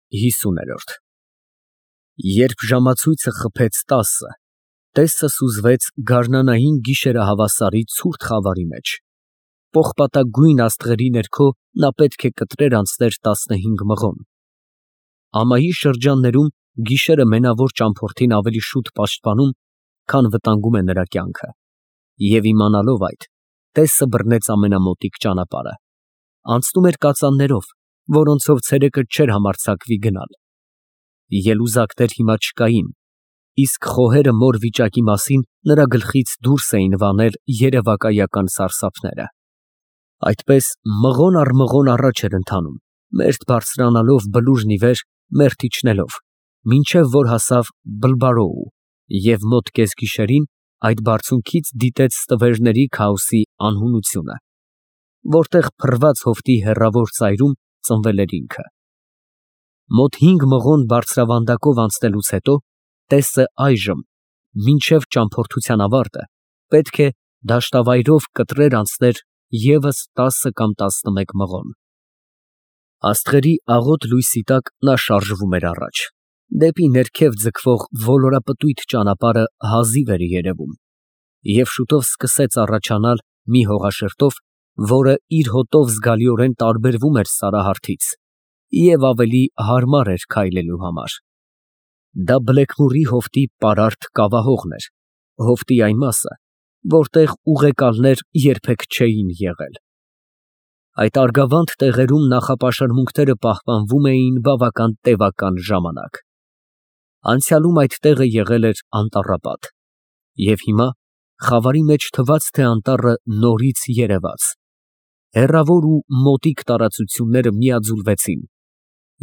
50-րդ Երբ ժամացույցը խփեց 10, տեսը սուզվեց գարնանային գիշերահավասարի ցուրտ խավարի մեջ, պողպատագույն աստղերի ներքո նա պետք է կտրեր անցներ 15 մղոն։ Ամայի շրջաններում գիշերը մենավոր ճամփորդին ավելի շուտ պաշտպանում, քան վտանգում է նրա կյանքը, և իմանալով այդ, տեսը բռնեց ամենամոտիկ ճանապարհը, անցնում էր կածաններով, որոնցով ցերեկը չէր համարձակվի գնալ։ Ելուզակներ հիմա չկային, իսկ խոհերը մոր վիճակի մասին նրա գլխից դուրս էին վանել երևակայական սարսափները։ Այդպես մղոն առ մղոն առաջ էր ընթանում, մերթ բարձրանալով բլուրն ի վեր, մերթ իջնելով, մինչև որ հասավ Բլբարոու և մոտ կեսգիշերին այդ բարձունքից դիտեց ստվերների քաոսի անհունությունը, որտեղ փռված հովտի հեռավոր ծայրում ծնվել էր ինքը։ Մոտ 5 մղոն բարձրավանդակով անցնելուց հետո տեսը այժմ, մինչև ճամփորդության ավարտը, պետք է դաշտավայրով կտրեր անցներ ևս 10 կամ 11 մղոն։ Աստղերի աղոտ լույսի տակ նա շարժվում էր առաջ, դեպի ներքև ձգվող ոլորապտույտ ճանապարհը հազիվ էր երևում, և շուտով սկսեց առաջանալ մի հողաշերտով, որը իր հոտով զգալիորեն տարբերվում էր սարահարթից և ավելի հարմար էր քայլելու համար։ Դա Բլեքմորի հովտի պարարտ կավահողն էր, հովտի այն մասը, որտեղ ուղեկալներ երբեք չէին եղել։ Այդ արգավանդ տեղերում նախապաշարմունքները պահպանվում էին բավական տևական ժամանակ։ Անցյալում այդ տեղը եղել էր անտառապատ, և հիմա խավարի մեջ թվաց, թե անտառը նորից երևաց։ Հեռավոր ու մոտիկ տարածությունները միաձուլվեցին,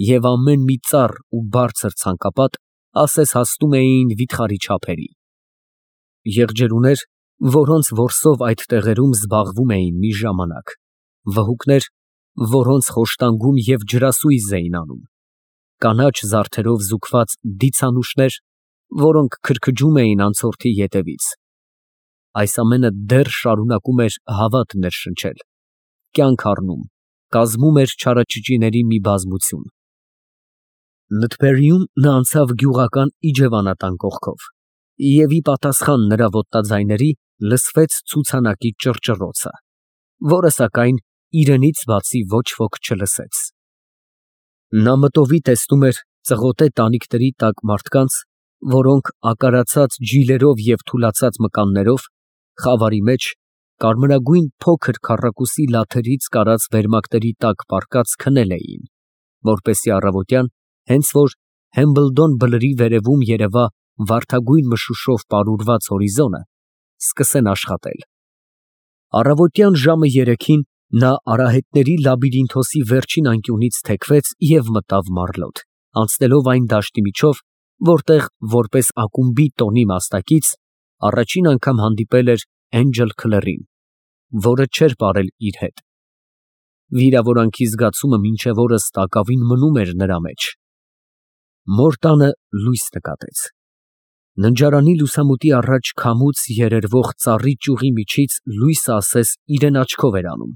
և ամեն մի ծառ ու բարձր ցանկապատ ասես հասնում էին վիթխարի չափերի։ Եղջերուներ, որոնց որսով այդ տեղերում զբաղվում էին մի ժամանակ, վհուկներ, որոնց խոշտանգում և ջրասույզ էին անում, կանաչ զարդերով զուգված դիցանուշներ, որոնք քրքջում էին անցորդի ետևից։ Այս ամենը դեռ շարունակում էր հավատ ներշնչել, կյանք առնում, կազմում էր չարաճճիների մի բազմություն։ Լըթփերիում նա անցավ գյուղական իջևանատան կողքով, և ի պատասխան նրա ոտնաձայների լսվեց ցուցանակի ճռճռոցը, որը, սակայն, իրենից բացի ոչ ոք չլսեց։ Նա մտովի տեսնում էր ծղոտե տանիքների տակ մարդկանց, որոնք ակարացած ջիլերով և թուլացած մկաններով, խավարի մեջ, կարմրագույն փոքր քառակուսի լաթերից կարած վերմակների տակ պառկած քնել էին, որպեսզի առավոտյան, հենց որ Հեմբլդոն բլրի վերևում երևա վարդագույն մշուշով պարուրված հորիզոնը, սկսեն աշխատել։ Առավոտյան ժամը 3-ին նա արահետների լաբիրինթոսի վերջին անկյունից թեքվեց և մտավ մառլոտ, անցնելով այն դաշտի միջով, որտեղ, որպես ակումբի տոնի մասնակից, առաջին անգամ հանդիպել էր Էնջել Քլերին, որը չէր ապրել իր հետ։ Վիրավորանքի զգացումը մինչև օրս տակավին մնում էր նրա մեջ։ Մոր տանը լույս նկատեց։ Ննջարանի լուսամուտի առաջ քամուց երերվող ծառի ճյուղի միջից լույսը ասես իրեն աչքով էր անում։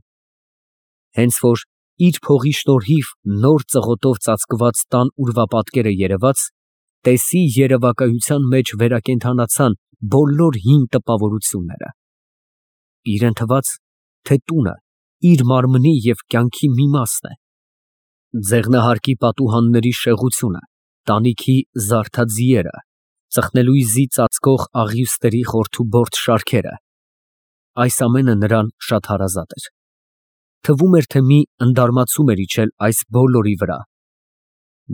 Հենց որ իր փողի շնորհիվ նոր ծղոտով ծածկված տան ուրվապատկերը երևաց, տեսի երևակայության մեջ վերակենդանացան բոլոր հին տպավորությունները։ Իրան թվաց, թե տունը իր մարմնի և կյանքի մի մասն է։ Ձեղնահարկի պատուհանների շեղությունը, տանիքի զարդաձիերը, ծխնելույզի ծածկող աղյուստերի խորթուբորդ շարքերը, այս ամենը նրան շատ հարազատ էր։ Թվում էր, թե մի ընդարմացում էր իջել այս բոլորի վրա։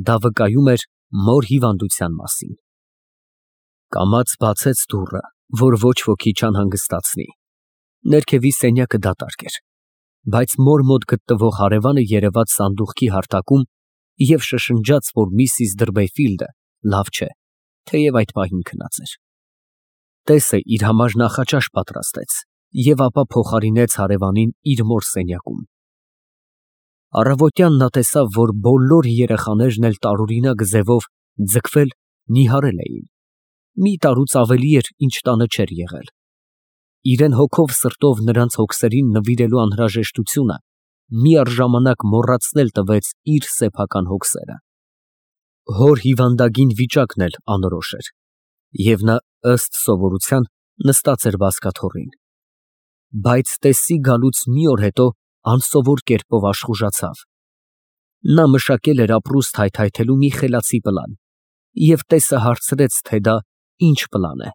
Դա վկայում էր մոր հիվանդության մասին։ Կամաց բացեց դուռը, որ ոչ ոքի չանհանգստացնի։ Ներքևի սենյակը դատարկ էր, բայց մոր մոտ գտնվող հարևանը երևաց սանդուղքի հարթակում և շշնջաց, որ միսիս Դրբեֆիլդը լավ չէ, թեև այդ պահին քնած էր։ Տեսը իր համար նախաճաշ պատրաստեց և ապա փոխարինեց հարևանին իր մոր սենյակում։ Առավոտյան նա տեսավ, որ բոլոր երեխաներն էլ տարօրինակ ձևով ձգվել, նիհարել էին։ Մի տարուց ավելի էր, ինչ տանը չէր եղել։ Իրեն հոգով սրտով նրանց հոգսերին նվիրելու անհրաժեշտությունը միառժամանակ մոռացնել տվեց իր սեփական հոգսերը։ Հոր հիվանդագին վիճակն էլ անորոշ էր, և նա ըստ սովորության նստած էր բազկաթոռին, բայց տեսի գալուց մի օր հետո անսովոր կերպով աշխուժացավ։ Նա մշակել էր ապրուստ հայթայթելու մի խելացի պլան և տեսը հարցրեց, թե դա ինչ պլան է։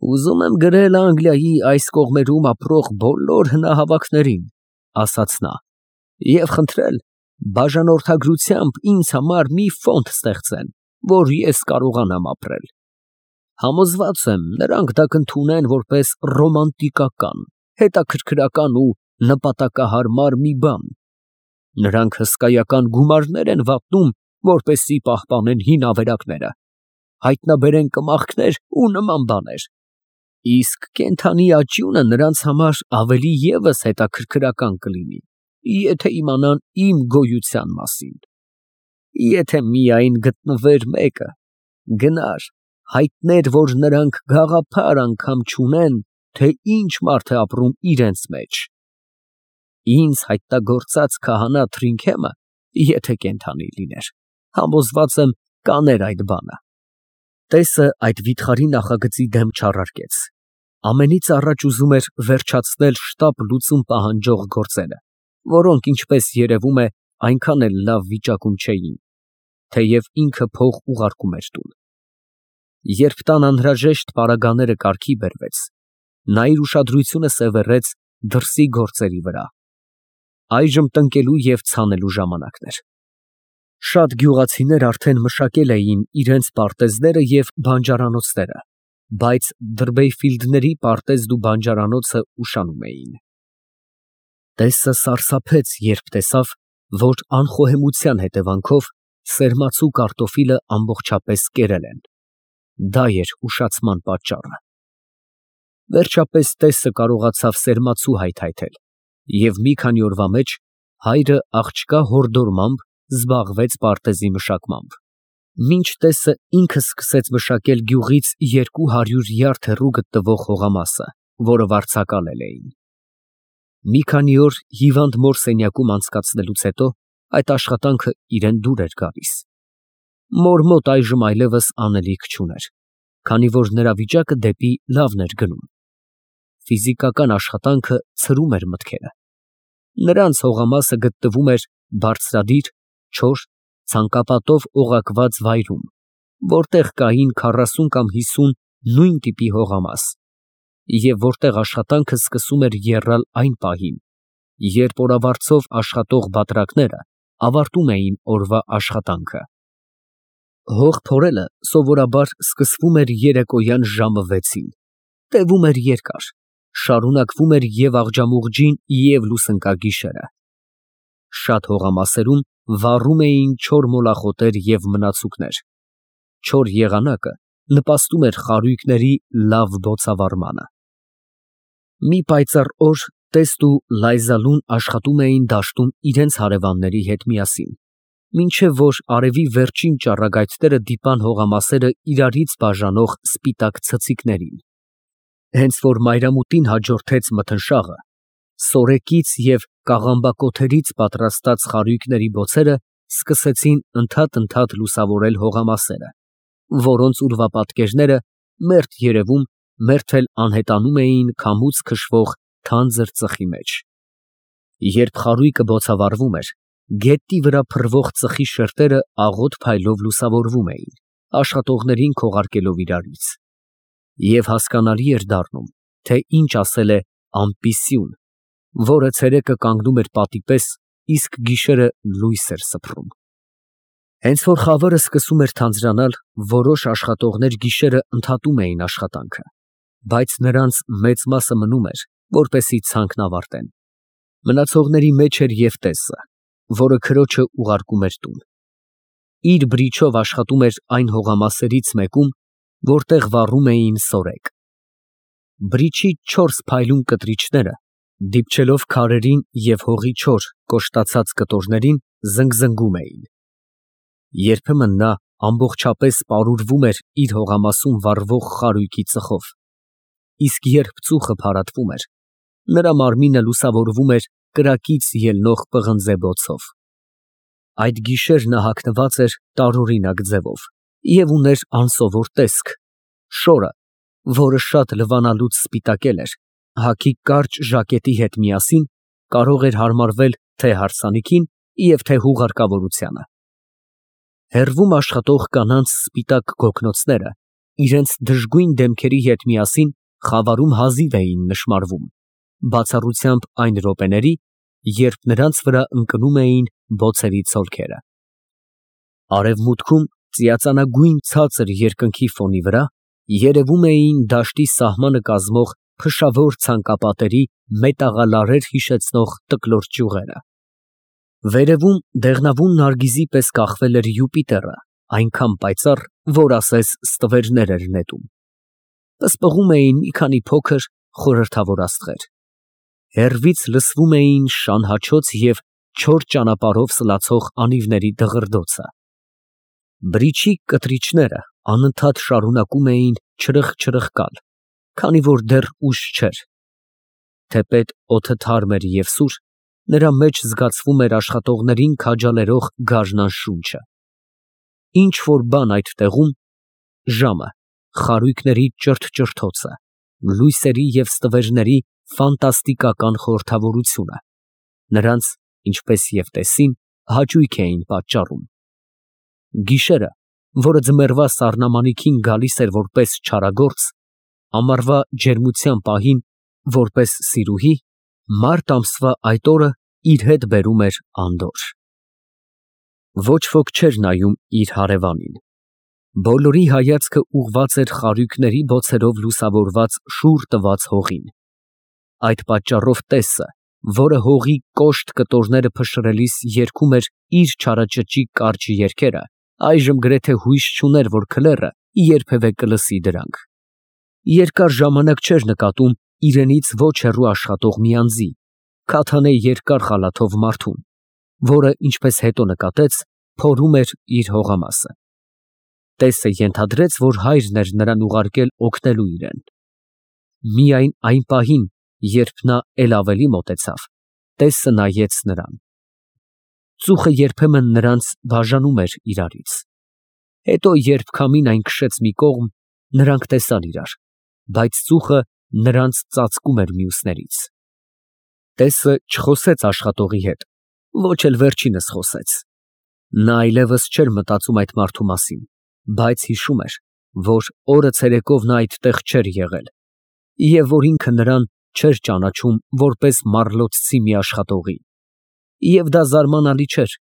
«Ուզում եմ գրել Անգլիայի այս կողմերում ապրող բոլոր հնահավաքներին, ֊ ասաց նա, ֊ և խնդրել բաժանորդագրությամբ ինձ համար մի ֆոնդ ստեղծեն, որ ես կարողանամ ապրել։ Համոզված եմ, նրանք դա կընդունեն որպես ռոմանտիկական, հետաքրքրական ու նպատակահարմար մի բան։ Նրանք հսկայական գումարներ են վատնում, որպեսզի պահպանեն հին ավերակները, հայտնաբերեն կմախքներ ու նման բաներ, իսկ կենդանի աճյունը նրանց համար ավելի ևս հետաքրքրական կլինի, եթե իմանան իմ գոյության մասին։ Եթե միայն գտնվեր մեկը, գնար, հայտներ, որ նրանք գաղափար անգամ չունեն, թե ինչ մարդ է ապրում իրենց մեջ։ Ինձ հայտնագործած քահանա Թրինքեմը, եթե կենդանի լիներ, համոզված եմ, կաներ այդ բանը»։ Տեսը այդ վիթխարի նախագծի դեմ չառարկեց, ամենից առաջ ուզում էր վերջացնել շտապ լուծում պահանջող գործերը, որոնք, ինչպես երևում է, այնքան էլ լավ վիճակում չէին, թեև ինքը փող ուղարկում էր տուն։ Երբ տան անհրաժեշտ պարագաները կարգի բերվեց, նա իր ուշադրությունը սևեռեց դրսի գործերի վրա։ Այժմ տնկելու և ցանելու ժամանակն էր։ Շատ գյուղացիներ արդեն մշակել էին իրենց պարտեզները և բանջարանոցները, բայց Դրբեյֆիլդների պարտեզն ու բանջարանոցը ուշանում էին։ Տեսը սարսափեց, երբ տեսավ, որ անխոհեմության հետևանքով սերմացու կարտոֆիլը ամբողջապես կերել են։ Դա էր ուշացման պատճառը։ Վերջապես տեսը կարողացավ սերմացու հայթայթել, և մի քանի օրվա մեջ հայրը աղջկա հորդորմամբ զբաղվեց պարտեզի մշակմամբ, մինչ տեսը ինքը սկսեց մշակել գյուղից 200 յարդ հեռու գտնվող հողամասը, որը վարձակալել էին։ Մի քանի օր հիվանդ մոր սենյակում անցկացնելուց հետո այդ աշխատանքը իրան դուր էր գալիս։ Մոր մոտ այժմ այլևս անելիք չուներ, քանի որ նրա վիճակը դեպի լավն էր գնում։ Ֆիզիկական աշխատանքը ցրում էր մտքերը։ Նրանց հողամասը գտնվում էր բարձրադիր, չոր, ցանկապատով օղակված վայրում, որտեղ կային 40 կամ 50 նույն տիպի հողամաս, և որտեղ աշխատանքը սկսում էր եռալ այն պահին, երբ օրավարձով աշխատող բատրակները ավարտում էին օրվա աշխատանքը։ Հող փորելը սովորաբար սկսվում էր երեկոյան ժամը 6-ին, տևում էր երկար, շարունակվում էր և աղջամուղջին, և լուսնկագիշերը։ Շատ հողամասերում վառում էին չոր մոլախոտեր և մնացուկներ։ Չոր եղանակը նպաստում էր խարույկների լավ բոցավառմանը։ Մի պայծառ օր տեստ ու Լայզալուն աշխատում էին դաշտում իրենց հարևանների հետ միասին, մինչև որ արևի վերջին ճառագայթները դիպան հողամասերը իրարից բաժանող սպիտակ ցցիկներին։ Հենց որ մայրամուտին հաջորդեց մթնշաղը, սորեկից և կաղամբակոթերից պատրաստած խարույկների բոցերը սկսեցին ընդհատ լուսավորել հողամասերը, որոնց ուրվապատկերները մերթ երևում, մերթ էլ անհետանում էին քամուց քշվող թանձր ծխի մեջ։ Երբ խարույկը բոցավառվում էր, գետնի վրա փռվող ծխի շերտերը աղոտ փայլով լուսավորվում էին, աշխատողներին քողարկելով իրարից։ Եվ հասկանալի էր դառնում, թե ինչ ասել է ամպիսյուն, որը ցերեկը կանգնում էր պատի պես, իսկ գիշերը լույս էր սփռում։ Հենց որ խավարը սկսում էր թանձրանալ, որոշ աշխատողներ գիշերը ընդհատում էին աշխատանքը, բայց նրանց մեծ մասը մնում էր, որպեսզի ցանքն ավարտեն։ Մնացողների մեջ էր և տեսը, որը քրոջը ուղարկում էր տուն։ Իր բրիչով աշխատում էր այն հողամասերից մեկում, որտեղ վառում էին սորեկ։ Բրիչի 4 փայլուն կտրիչները, դիպչելով քարերին և հողի չոր, կոշտացած կտորներին, զնգզնգում էին։ Երբեմն նա ամբողջապես պարուրվում էր իր հողամասում վառվող խարույկի ծխով, իսկ երբ ծուխը փարատվում էր, նրա մարմինը լուսավորվում էր կրակից ելնող պղնձե բոցով։ Այդ գիշեր նա հագնված էր տարօրինակ ձևով և ուներ անսովոր տեսք. շորը, որը շատ լվանալուց սպիտակել էր, հագի կարճ ժակետի հետ միասին կարող էր հարմարվել թե հարսանիքին և թե հուղարկավորությանը։ Հեռվում աշխատող կանանց սպիտակ գոգնոցները իրենց դժգույն դեմքերի հետ միասին խավարում հազիվ էին նշմարվում, բացառությամբ այն րոպեների, երբ նրանց վրա ընկնում էին բոցերի ցոլքերը։ Արևմուտքում ծիածանագույն ցածր երկնքի ֆոնի վրա երևում էին դաշտի սահմանը կազմող փշավոր ցանկապատերի մետաղալարեր հիշեցնող տկլոր ճյուղերը։ Վերևում դեղնավուն նարգիզի պես կախվել էր Յուպիտերը, այնքան պայծառ, որ ասես ստվերներ էր նետում։ Պսպղում էին մի քանի փոքր խորհրդավոր աստղեր։ Հեռվից լսվում էին շան հաչոց և չոր ճանապարհով սլացող անիվների դղրդոցը։ Բրիչի կտրիչները անընդհատ շարունակում էին չրխկ֊չրխկալ, քանի որ դեռ ուշ չէր։ Թեպետ օդը թարմ էր և սուր, նրա մեջ զգացվում էր աշխատողներին քաջալերող գարնան շունչը։ Ինչ֊որ բան այդ տեղում, ժամը, խարույկների ճրթ֊ճրթոցը, լույսերի և ստվերների ֆանտաստիկական խորհրդավորությունը, նրանց, ինչպես և տեսին, հաճույք էին պատճառում։ Գիշերը, որը ձմեռվա սառնամանիքին գալիս էր որպես չարագործ, ամառվա ջերմության պահին որպես սիրուհի, մարտ ամսվա այդ օրը իր հետ բերում էր անդորր։ Ոչ ոք չէր նայում իր հարևանին։ Բոլորի հայացքը ուղղված էր խարույկների բոցերով լուսավորված շուռ տված հողին։ Այդ պատճառով տեսը, որը հողի կոշտ կտորները փշրելիս երգում էր իր չարաճճի կարճ երգերը, այժմ գրեթե հույս չուներ, որ քլեռը երբևէ կլսի դրանք։ Երկար ժամանակ չէր նկատում իրենից ոչ հեռու աշխատող մի անձի, քաթանե երկար խալաթով մարդուն, որը, ինչպես հետո նկատեց, փորում էր իր հողամասը։ Տեսը ենթադրեց, որ հայրն էր նրան ուղարկել օգնելու իրեն։ Միայն այն պահին, երբ նա էլ ավելի մոտեցավ, տեսը նայեց նրան։ Ծուխը երբեմն նրանց բաժանում էր իրարից։ Հետո, երբ քամին այն քշեց մի կողմ, նրանք տեսան իրար, բայց ծուխը նրանց ծածկում էր մյուսներից։ Տեսը չխոսեց աշխատողի հետ, ոչ էլ վերջինս խոսեց։ Նա այլևս չէր մտածում այդ մարդու մասին, բայց հիշում էր, որ օրը ցերեկով նա այդտեղ չէր եղել, և որ ինքը նրան չէր ճանաչում որպես մառլոցցի մի աշխատողի։ Եվ դա զարմանալի չէր,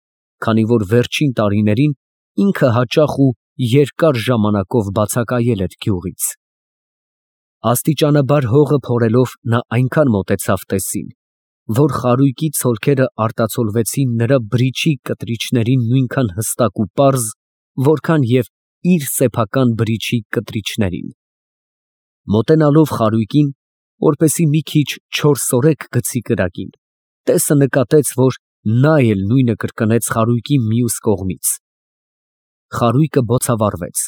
քանի որ վերջին տարիներին ինքը հաճախ ու երկար ժամանակով բացակայել էր գյուղից։ Աստիճանաբար հողը փորելով նա այնքան մոտեցավ տեսին, որ խարույկի ցոլքերը արտացոլվեցին նրա բրիչի կտրիչներին նույնքան հստակ ու պարզ, որքան և իր սեփական բրիչի կտրիչներին։ Մոտենալով խարույկին, որպեսզի մի քիչ չոր սորեկ գցի կրակին, տեսը նկատեց, որ նա էլ նույնը կրկնեց խարույկի մյուս կողմից։ Խարույկը բոցավառվեց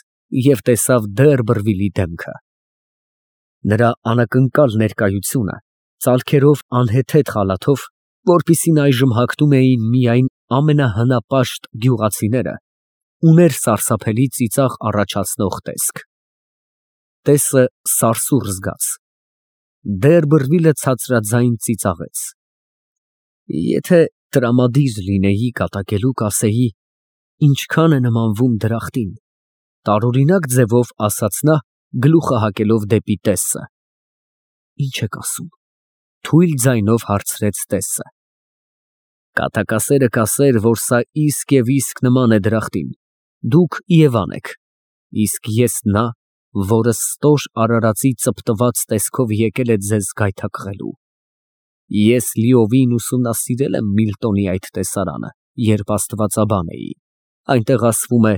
և տեսավ Դերբրվիլի դեմքը։ Նրա անակնկալ ներկայությունը, ծալքերով անհեթեթ խալաթով, որպիսին այժմ հագնում էին միայն ամենահնապաշտ գյուղացիները, ուներ սարսափելի ծիծաղ առաջացնող տեսք։ Տեսը սարսուռ զգաց։ Դերբրվիլը ցածրաձայն ծիծաղեց։ Եթե տրամադիր լինեի կատակելու, կասեի, ինչքան է նմանվում դրախտին, տարօրինակ ձևով ասաց նա, գլուխը հակելով դեպի տեսը։ Ինչ եք ասում, թույլ ձայնով հարցրեց տեսը։ Կատակասերը կասեր, որ սա իսկ և իսկ նման է դրախտին, դուք Եվան եք, իսկ ես նա, որը ստոր արարածի ծպտված տեսքով եկել է ձեզ գայթակղելու։ Ես լիովին ուսումնասիրել եմ Միլտոնի այդ տեսարանը, երբ աստվածաբան էի, այնտեղ ասվում է.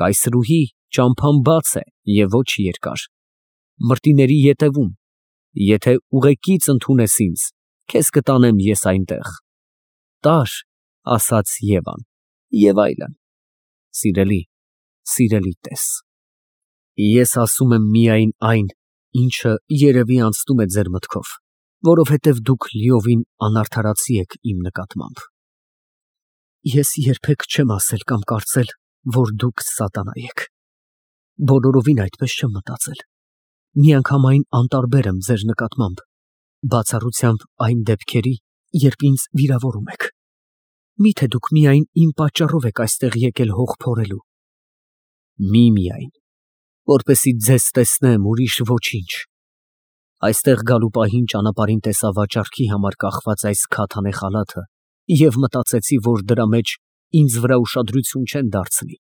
կայսրուհի, ճամփան բաց է և ոչ երկար, մրտիների ետևում, եթե ուղեկից ընդունես ինձ, քեզ կտանեմ ես այնտեղ, տար, ասաց Եվան, և այլն։ Սիրելի, սիրելի տես, ես ասում եմ միայն այն, ինչը երևի անցնում է ձեր մտքով, որովհետև դուք լիովին անարդարացի եք իմ նկատմամբ։ Ես երբեք չեմ ասել կամ կարծել, որ դուք սատանա եք։ Բոլորովին այդպես չեմ մտածել։ Միանգամայն անտարբեր եմ ձեր նկատմամբ, բացառությամբ այն դեպքերի, երբ ինձ վիրավորում եք։ Միթե դուք միայն իմ պատճառով եք այստեղ եկել հող փորելու։ Միայն, որպեսզի ձեզ տեսնեմ, ուրիշ ոչինչ։ Այստեղ գալու պահին ճանապարհին տեսա վաճառքի համար կախված այս քաթանե խալաթը և մտածեցի, որ դրա մեջ ինձ վրա ուշադրություն չեն դարձնի։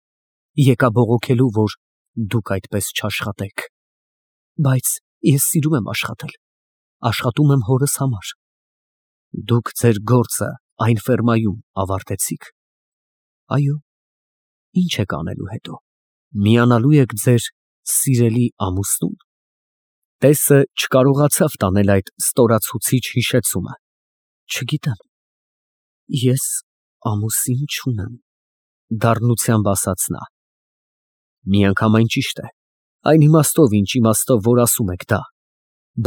Եկա բողոքելու, որ դուք այդպես չաշխատեք։ Բայց ես սիրում եմ աշխատել, աշխատում եմ հորս համար։ Դուք ձեր գործը այն ֆերմայում ավարտեցիք։ Այո։ Ինչ եք անելու հետո։ Միանալու եք ձեր սիրելի ամուսնուն։ Տեսը չկարողացավ տանել այդ ստորացուցիչ հիշեցումը։ Չգիտեմ։ Ես ամուսին չունեմ, դառնությամբ ասաց նա։ Միանգամայն ճիշտ է։ Այն իմաստով, ինչ իմաստով, որ ասում եք դա,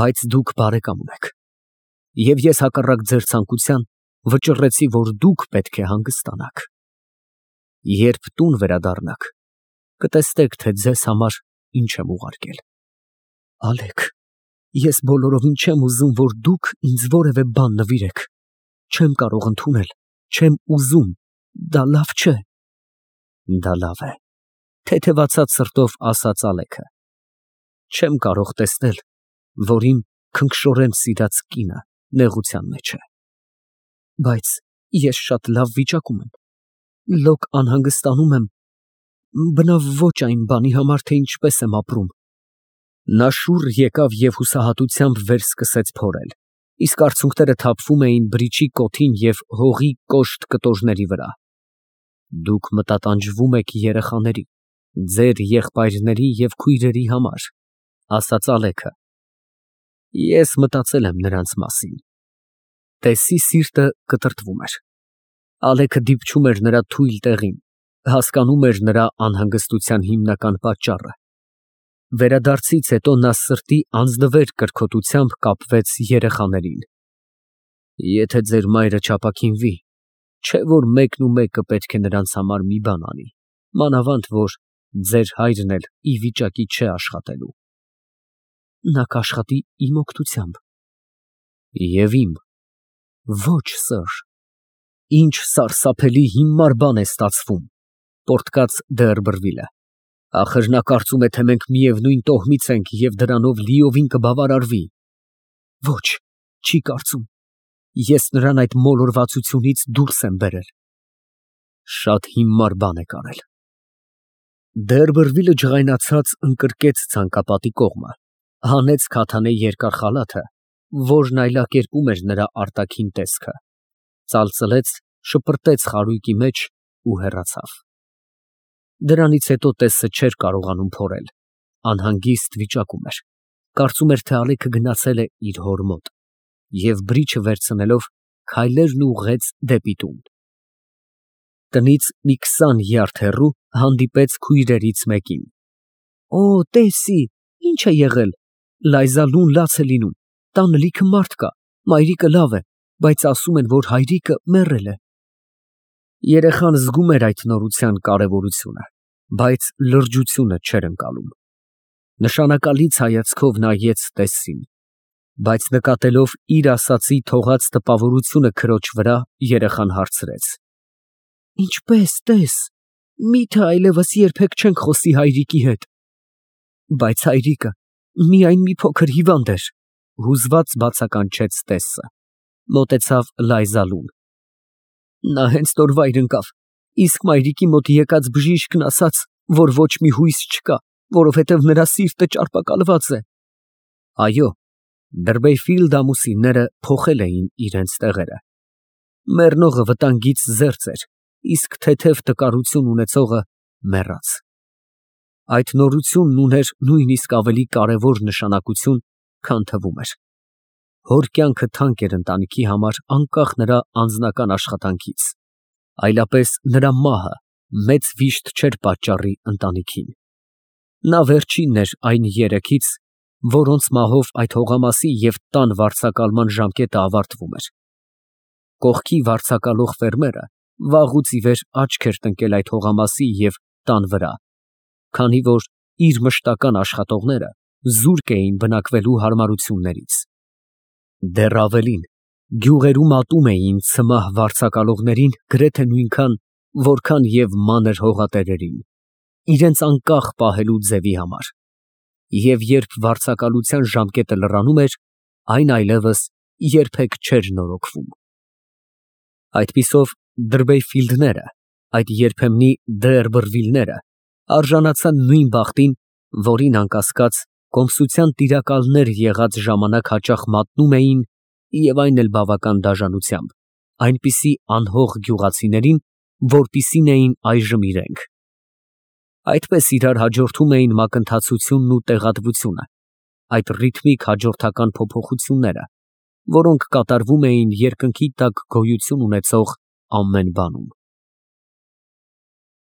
բայց դուք բարեկամ ունեք։ Եվ ես հակառակ ձեր ցանկության վճռեցի, որ դուք պետք է հանգստանաք։ Երբ տուն վերադառնաք, կտեսնեք, թե ձեզ համար ինչ եմ ուղարկել։ Ալեք, ես բոլորովին չեմ ուզում, որ դուք ինձ որևէ բան նվիրեք։ Չեմ կարող ընդունել, չեմ ուզում, դա լավ չէ։ Դա լավ է, թեթևացած սրտով ասաց Ալեքը։ Չեմ կարող տեսնել, որ իմ քնքշորեն սիրած կինը նեղության մեջ է։ Բայց ես շատ լավ վիճակում եմ, լոկ անհանգստանում եմ, բնավ ոչ այն բանի համար, թե ինչպես եմ ապրում։ Նա շուռ եկավ և հուսահատությամբ վերսկսեց փորել, իսկ արցունքները թափվում էին բրիչի կոթին և հողի կոշտ կտորների վրա։ Դուք մտատանջվում եք երեխաների, ձեր եղբայրների և քույրերի համար, ասաց Ալեքը։ Ես մտածել եմ նրանց մասին։ Տեսի սիրտը կտրտվում էր։ Ալեքը դիպչում էր նրա թույլ տեղին, հասկանում էր նրա անհանգստության հիմնական պատճառը։ Վերադարձից հետո նա սրտի անձնվեր կրքոտությամբ կապվեց երեխաներին։ Եթե ձեր մայրը չապաքինվի, չէ՞ որ մեկն ու մեկը պետք է նրանց համար մի բան անի, մանավանդ որ ձեր հայրն էլ ի վիճակի չէ աշխատելու։ Նա կաշխատի իմ օգնությամբ։ Եվ իմ։ Ոչ, սըր։ Ինչ սարսափելի հիմար բան է ստացվում, պոռթկաց Դերբերվիլը։ Ախր նա կարծում է, թե մենք միևնույն տոհմից ենք և դրանով լիովին կբավարարվի։ Ոչ, չի կարծում։ Ես նրան այդ մոլորվածությունից դուրս եմ բերել։ Շատ հիմար բան եք արել։ Դերբերվիլը ջղայնացած ընկրկեց ցանկապատի կողմը, հանեց քաթանե երկար խալաթը, որն այլակերպում էր նրա արտաքին տեսքը, ծալծլեց, շպրտեց խարույկի մեջ ու հեռացավ։ Դրանից հետո տեսը չէր կարողանում փորել, անհանգիստ վիճակում էր, կարծում էր, թե Ալեքը գնացել է իր հոր մոտ, և բրիչը վերցնելով քայլերն ուղղեց դեպի տուն։ Տնից մի 20 յարդ հեռու հանդիպեց քույրերից մեկին։ Օ, տեսի, ինչ է եղել, Լայզալուն լաց է լինում, տանը լիքը մարդ կա, մայրիկը լավ է, բայց ասում են, որ հայրիկը մեռել է։ Երեխան զգում էր այդ նորության կարևորությունը, բայց լրջությունը չէր ընկալում։ Նշանակալից հայացքով նայեց տեսին, բայց նկատելով իր ասածի թողած տպավորությունը քրոջ վրա, երեխան հարցրեց. Ինչպես, տես, միթե այլևս երբեք չենք խոսի հայրիկի հետ։ Բայց հայրիկը միայն մի փոքր հիվանդ էր, հուզված բացականչեց տեսը, մոտեցավ Լայզալուն։ Նա հենց նոր վայր ընկավ, իսկ մայրիկի մոտ եկած բժիշկն ասաց, որ ոչ մի հույս չկա, որովհետև նրա սիրտը ճարպակալված է։ Այո, Դերբեյֆիլդ ամուսինները փոխել էին իրենց տեղերը։ Մեռնողը վտանգից զերծ էր, իսկ թեթև տկարություն ունեցողը մեռած։ Այդ նորությունն ուներ նույնիսկ ավելի կարևոր նշանակություն, քան թվում էր։ Հոր կյանքը թանկ էր ընտանիքի համար անկախ նրա անձնական աշխատանքից, այլապես նրա մահը մեծ վիշտ չէր պատճառի ընտանիքին։ Նա վերջինն էր այն երեքից, որոնց մահով այդ հողամասի և տան վարձակալման ժամկետը ավարտվում էր։ Կողքի վարձակալող ֆերմերը վաղուց ի վեր աչք էր տնկել այդ հողամասի և տան վրա, քանի որ իր մշտական աշխատողները զուրկ էին բնակվելու հարմարություններից։ Դեռ ավելին, գյուղերում ատում էին ցմահ վարձակալողներին գրեթե նույնքան, որքան և մանր հողատերերին, իրենց անկախ պահելու ձևի համար, և երբ վարձակալության ժամկետը լրանում էր, այն այլևս երբեք չէր նորոգվում։ Այդպիսով Դրբեյֆիլդները, այդ երբեմնի Դերբըրվիլները, արժանացան նույն բախտին, որին անկասկած կոմսության տիրակալներ եղած ժամանակ հաճախ մատնում էին և այն էլ բավական դաժանությամբ, այնպիսի անհող գյուղացիներին, որպիսին էին այժմ իրենք։ Այդպես իրար հաջորդում էին մակընթացությունն ու տեղատվությունը, այդ ռիթմիկ հաջորդական փոփոխությունները, որոնք կատարվում էին երկնքի տակ գոյություն ունեցող ամեն բանում։